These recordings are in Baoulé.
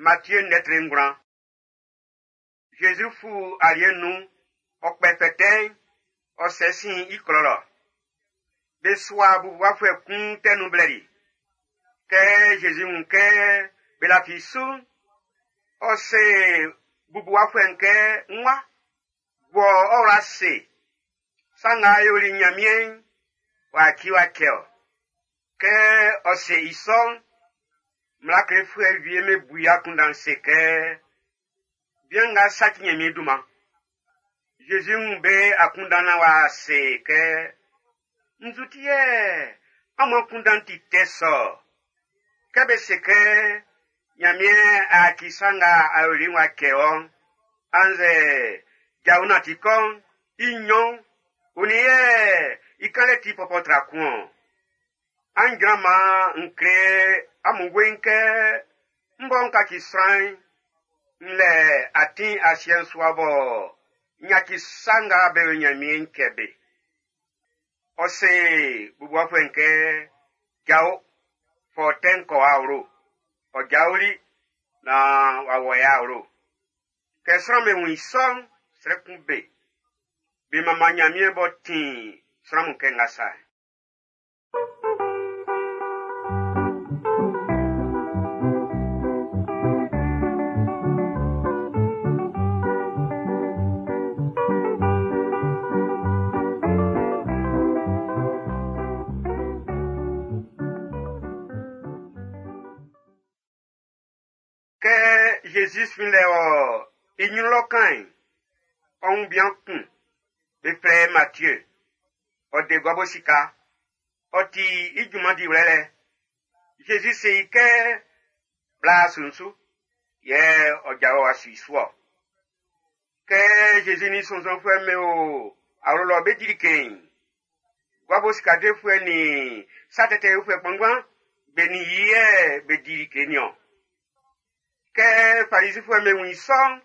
Matie ndɛ 9. Zezi fu aliɛ nun, ɔ kpɛ fɛtɛ'n, ɔ sɛ sin i klɔ lɔ. Be sua bubuwafuɛ kun tɛ nun blɛli. Kɛ Zezi wun kɛ be lafi su'n, ɔ se bubuwafuɛ'n kɛ, "N wa, wɔ ɔ wla se. Sa nga a yoli Ɲanmiɛn'n, w'a ci w'a cɛ ɔ." Kɛ ɔ se i sɔ'n, mmla klefuɛ wie be bu i akunndan se kɛ, "Bian nga saci Ɲanmiɛn dunman." Zezi wun be akunndan naan w'a se kɛ, "Nzu ti yɛ amun akunndan ti tɛ sɔ? Kɛ be se kɛ Ɲanmiɛn a ci sa nga a yoli'n w'a cɛ ɔ, annzɛ jao nanti kɔ'n, i nɲɔn, onin yɛ i kanlɛ ti pɔpɔ tra kun ɔ? An jran maan n kle amun weiin kɛ n bɔ n kaci sran'n, n lɛ atin asiɛ'n su wa bɔ n yaci sa nga be yo Ɲanmiɛn'n cɛ be. Ɔ se bubuwafuɛ'n kɛ, jao, fɔ tɛ'n kɔ awlo. Ɔ jaoli naan w'a wɔ i awlo. Kɛ sran'm be wun i sɔ'n, srɛ kun be. Be manman Ɲanmiɛn b'ɔ tin sran mun kɛ nga sa. Kɛ Zezi fin lɛ ɔ i ɲrun lɔ kan'n, ɔ wun bian kun, be flɛ i Matie. Ɔ de guabo sika. Ɔ ti i junman diwlɛ lɛ. Zezi se i kɛ, bla sunsu, yɛ ɔ jao wa su i su ɔ. Kɛ Zezi ni sɔnnzɔnfuɛ'm be o awlo lɔ be di like'n, guabo sika defuɛ nin sa tɛtɛ yofuɛ kpanngban be nin i yɛ be di like niɔn. Kɛ Farisifuɛ'm be wun i sɔ'n,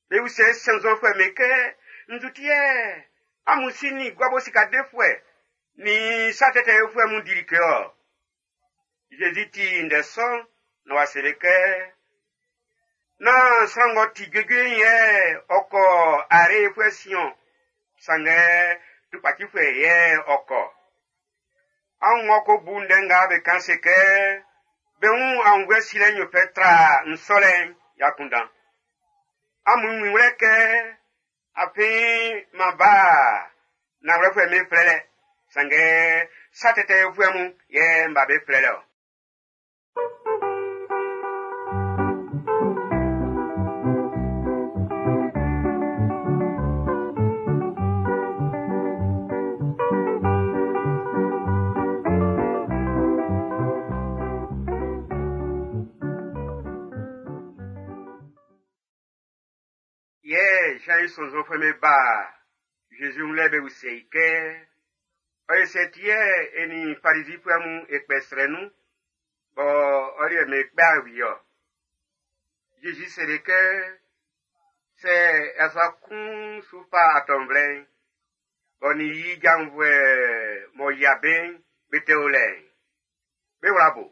be usɛ sɔnnzɔnfuɛ'm be kɛ, nzu ti yɛ amun si nin guabo sika defuɛ nin sa tɛtɛ yofuɛ mun di like ɔ? Zezi ti ndɛ sɔ'n na w'a se be kɛ, nán sran ng'ɔ ti juejue'n yɛ ɔ kɔ arefuɛ sin-ɔn, sanngɛ tukpacifuɛ yɛ ɔ kɔ. An ng'ɔ ko bu ndɛ nga be kan se kɛ, be wun aunnvuɛ silɛ'n yo fɛ tra nsɔlɛ'n i akunndan. Amun wun i wlɛ kɛ, afin m'an ba nanwlɛfuɛ'm be flɛlɛ, sanngɛ sa tɛtɛ yofuɛ mun yɛ m ba be flɛlɛ ɔ. Yɛ Jean i sɔnnzɔnfuɛ'm be ba Zezi wun lɛ be usɛ i kɛ, ɔ ye sɛ ti yɛ e nin Farisifuɛ mun e kpɛ srɛ nun, bɔ ɔ liɛ me kpɛ awie ɔ. Zezi seli kɛ, sɛ yasua kun su fa atɔnvlɛ'n, ɔ nin i janvuɛ m'ɔ yia be'n, be te o lɛ'n, be wla bo.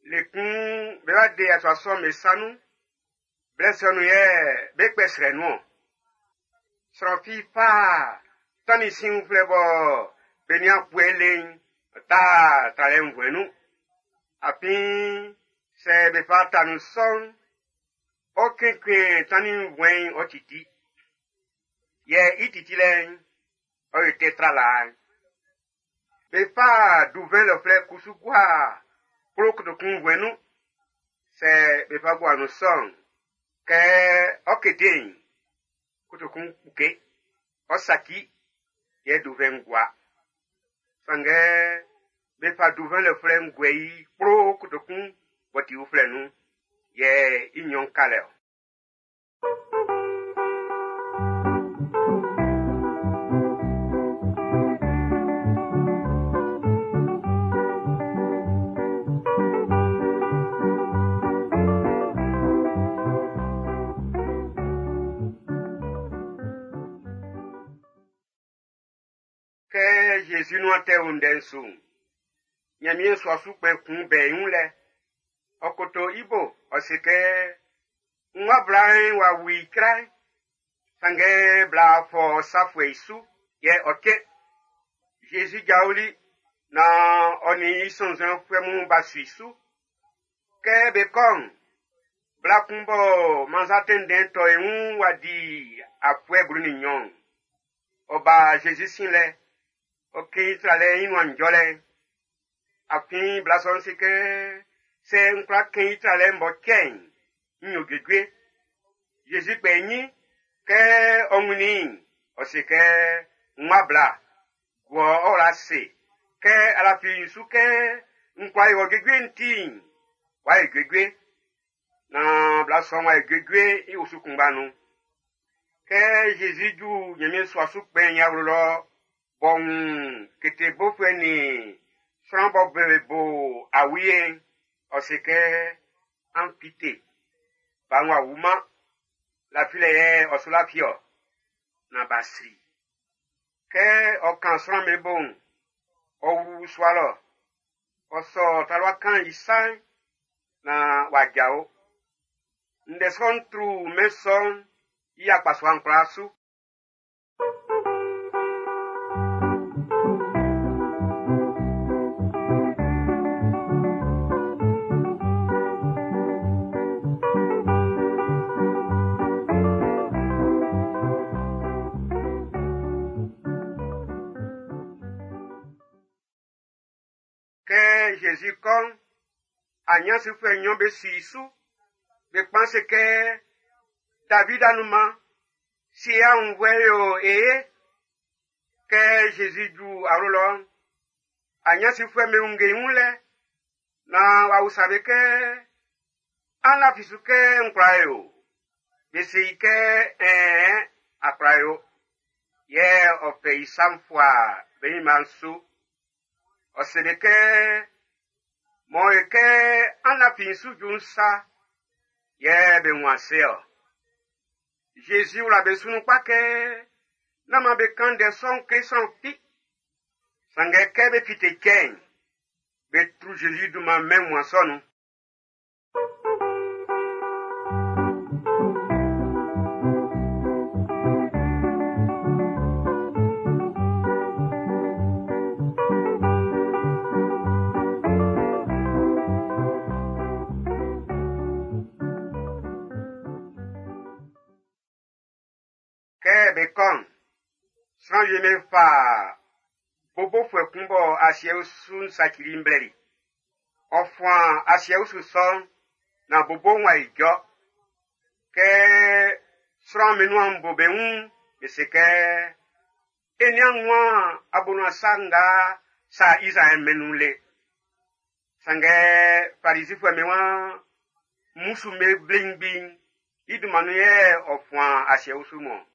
Le kun be wa de yasua sɔ'm be sa nun, blɛ sɔ nun yɛ be kpɛ srɛ nun ɔ. Sran fi fa tannin sin uflɛ bɔ be nian kpue le'n, ta tralɛ nvuɛn nun. Afin sɛ be fa ta nun sɔ'n, ɔ kekle tannin nvuɛn'n ɔ titi. Yɛ i titilɛ'n, ɔ yo tɛ tra laa'n. Be fa duvɛn lɔflɛ kusu gua kplo kotokun nvuɛn nun. Sɛ be fa gua nun sɔ'n, kɛ ɔ kete'n, kotokun kpuke, ɔ saci, yɛ duvɛn'n gua. Sanngɛ be fa duvɛn lɔflɛ guɛ i kplo kotokun b'ɔ ti uflɛ nun, yɛ i nnyɔn ka lɛ ɔ. Kɛ Jésus nuan tɛ o ndɛ'n su'n, Ɲanmiɛn sua su kpɛn kun bɛ i wun lɛ. Ɔ koto i bo, ɔ se kɛ, N wa bla'n w'a wu i cra'n, sanngɛ bla fɔ sa fuɛ i su, yɛ ɔ cɛn. Zezi jaoli naan ɔ nin i sɔnnzɔnfuɛ mun b'a su i su. Kɛ bé kɔ́ʼn, bla kun bɔ mannza tɛnndɛn tɔ i wun w'a di afuɛ 12, ɔ ba Zezi sin lɛ, ɔ kɛn i tralɛ'n i nuan njɔlɛ'n. Afin bla sɔ'n se kɛ, sɛ n kwla kɛn i tralɛ'n bɔ cɛ'n, n yo juejue. Zezi kpɛ i ɲin, kɛ ɔ wunnin i'n, ɔ se kɛ, n wa bla, guɔ ɔ wla ase, kɛ a lafi n su kɛ n kwla yo ɔ juejue'n ti'n, w'a yo juejue. Naan bla sɔ'n w'a yo juejue i osu kunngba nun. Kɛ Zezi ju Ɲanmiɛn sua su kpɛn'n i awlo lɔ b'ɔ wun kete bofuɛ nin sran bɔ be bo awie'n, ɔ se kɛ, an fite, ba'n w'a wuman, lafilɛ yɛ ɔ su lafi-ɔ, naan b'a sri. Kɛ ɔ kan sran'm be bo'n, ɔ wlu sua lɔ, ɔ sɔ talua kan'n i sa'n naan w'a jao. Ndɛ sɔ'n tru mɛn sɔ'n i akpasua'n kwlaa su. Kɛ Zezi kɔ́ʼn, aɲansifuɛ nɲɔn be su i su. Be kpan se kɛ, David anunman, si e aunnvuɛ yo e ye. Kɛ Zezi ju awlo lɔ'n, aɲansifuɛ'm be wunge i wun lɛ, naan w'a usa be kɛ, an lafi su kɛ n kwla yo? Be se i kɛ, ɛɛn, a kwla yo. Yɛ ɔ fɛ i sa'n fua be ɲinma'n su. Ɔ se be kɛ, mɔ e kɛ an lafi n su ju'n sa, yɛ be wun ase-ɔ. Zezi wla be su nun kpa kɛ, nán man be kan ndɛ sɔ'n kle sran fi. Sanngɛ kɛ be fite cɛ'n, be tru Zezi dunman mɛn wunmuan sɔ'n nun. Kɛ be kɔ'n, sran wie be fa bobofuɛ kun bɔ asiɛ usu'n sacili i'n blɛli. Ɔ fuan asiɛ usu sɔ'n, naan bobo'n w'a ijɔ. Kɛ sran'm be nuan bo be wun'n, be se kɛ, e nian wun abonuan sa nga sa Izraɛl mɛn'n nun le. Sanngɛ Farizifuɛ'm be waan, mmusu'm be wlengbi'n i dunman nun yɛ ɔ fuan asiɛ usu mun-ɔn.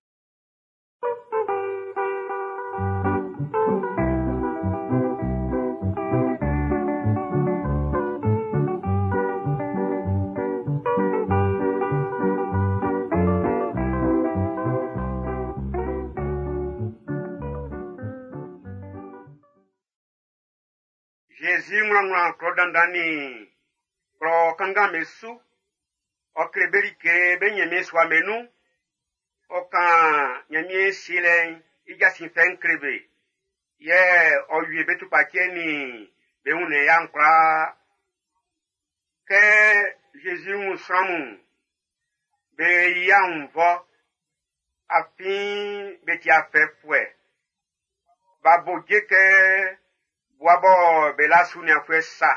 Zezi wlanwlan klɔ dandan nin klɔ kanngan'm be su. Ɔ kle be like be Ɲanmiɛn sua'm be nun. Ɔ kan Ɲanmiɛn sielɛ'n i jasin fɛ'n kle be. Yɛ ɔ wie be tukpacɛ nin be wunnɛn ya'n kwlaa. Kɛ Zezi wun sran mun'n, be yi aunnvɔ, afin be ti afɛfuɛ. B'a bo je kɛ bua bɔ be la su nianfuɛ sa.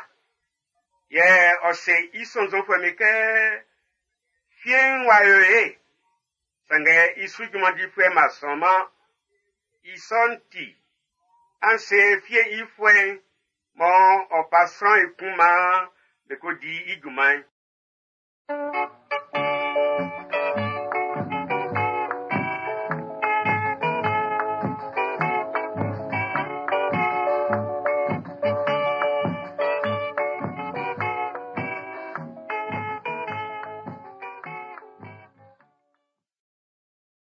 Yɛ ɔ se i sɔnnzɔnfuɛ'm be kɛ, fie'n w'a yo ye, sanngɛ i su junman difuɛ ma sɔnman. I sɔ'n ti, an se fie i fuɛ'n mɔ ɔ fa sran ekun maan be ko di i junman'n.